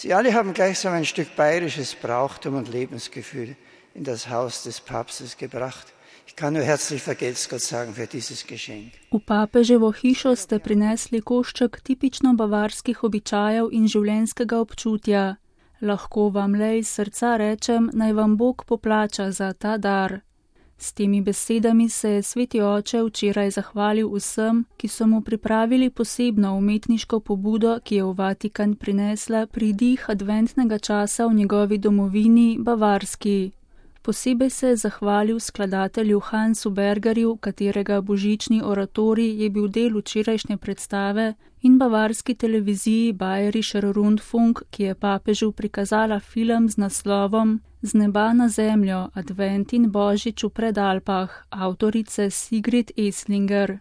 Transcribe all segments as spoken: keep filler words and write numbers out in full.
Sie alle haben gleichsam ein Stück bayerisches Brauchtum und Lebensgefühl in das Haus des Papstes gebracht. Ich kann nur herzlich vergelt's Gott sagen für dieses Geschenk. V papeževo hišo ste prinesli košček tipično bavarskih običajev in življenjskega občutja. Lahko vam le iz srca rečem, naj vam Bog poplača za ta dar. S temi besedami se je sveti oče včeraj zahvalil vsem, ki so mu pripravili posebno umetniško pobudo, ki je v Vatikan prinesla pridih adventnega časa v njegovi domovini Bavarski. Posebej se je zahvalil skladatelju Hansu Bergerju, katerega božični oratorij je bil del včerajšnje predstave, in bavarski televiziji Bayerischer Rundfunk, ki je papežu prikazala film z naslovom Z neba na zemljo, Advent in Božič v Predalpah, avtorice Sigrid Eslinger.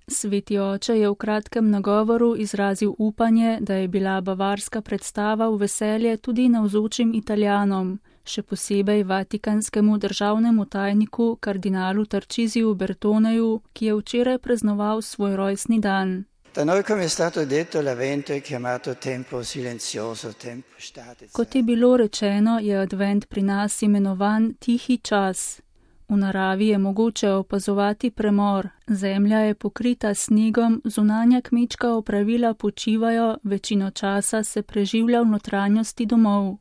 Sveti oče je v kratkem nagovoru izrazil upanje, da je bila bavarska predstava v veselje tudi navzočim Italijanom, še posebej vatikanskemu državnemu tajniku kardinalu Tarcisiju Bertoneju, ki je včeraj praznoval svoj rojstni dan. Kot je bilo rečeno, je advent pri nas imenovan tihi čas. V naravi je mogoče opazovati premor, zemlja je pokrita snegom, zunanja kmečka opravila počivajo, večino časa se preživlja v notranjosti domov.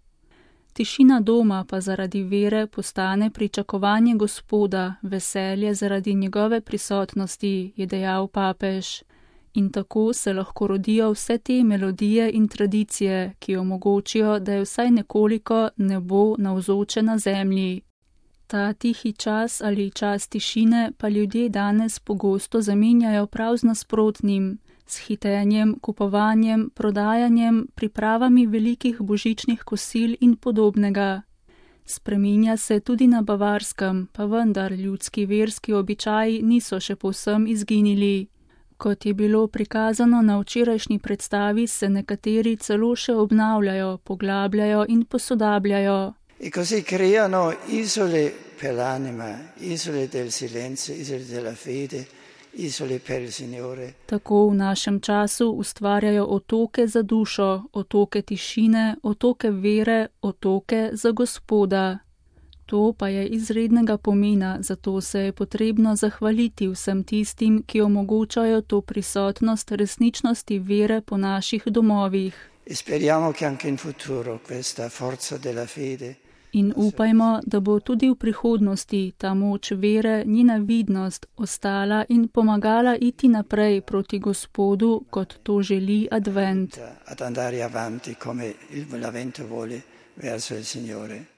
Tišina doma pa zaradi vere postane pričakovanje Gospoda, veselje zaradi njegove prisotnosti, je dejal papež. In tako se lahko rodijo vse te melodije in tradicije, ki omogočijo, da je vsaj nekoliko nebo navzoče na zemlji. Ta tihi čas ali čas tišine pa ljudje danes pogosto zamenjajo prav z nasprotnim, s hitenjem, kupovanjem, prodajanjem, pripravami velikih božičnih kosil in podobnega. Spreminja se tudi na Bavarskem, pa vendar ljudski verski običaji niso še povsem izginili. Kot je bilo prikazano na včerajšnji predstavi, se nekateri celo še obnavljajo, poglabljajo in posodabljajo. E così creano isole per l'anima, isole del silenzio, isole della fede, isole per il Signore. Tako v našem času ustvarjajo otoke za dušo, otoke tišine, otoke vere, otoke za Gospoda. To pa je izrednega pomena, zato se je potrebno zahvaliti vsem tistim, ki omogočajo to prisotnost resničnosti vere po naših domovih. In upajmo, da bo tudi v prihodnosti ta moč vere, njena vidnost, ostala in pomagala iti naprej proti Gospodu, kot to želi advent. Ad andare avanti come l'avvento vuole verso il Signore.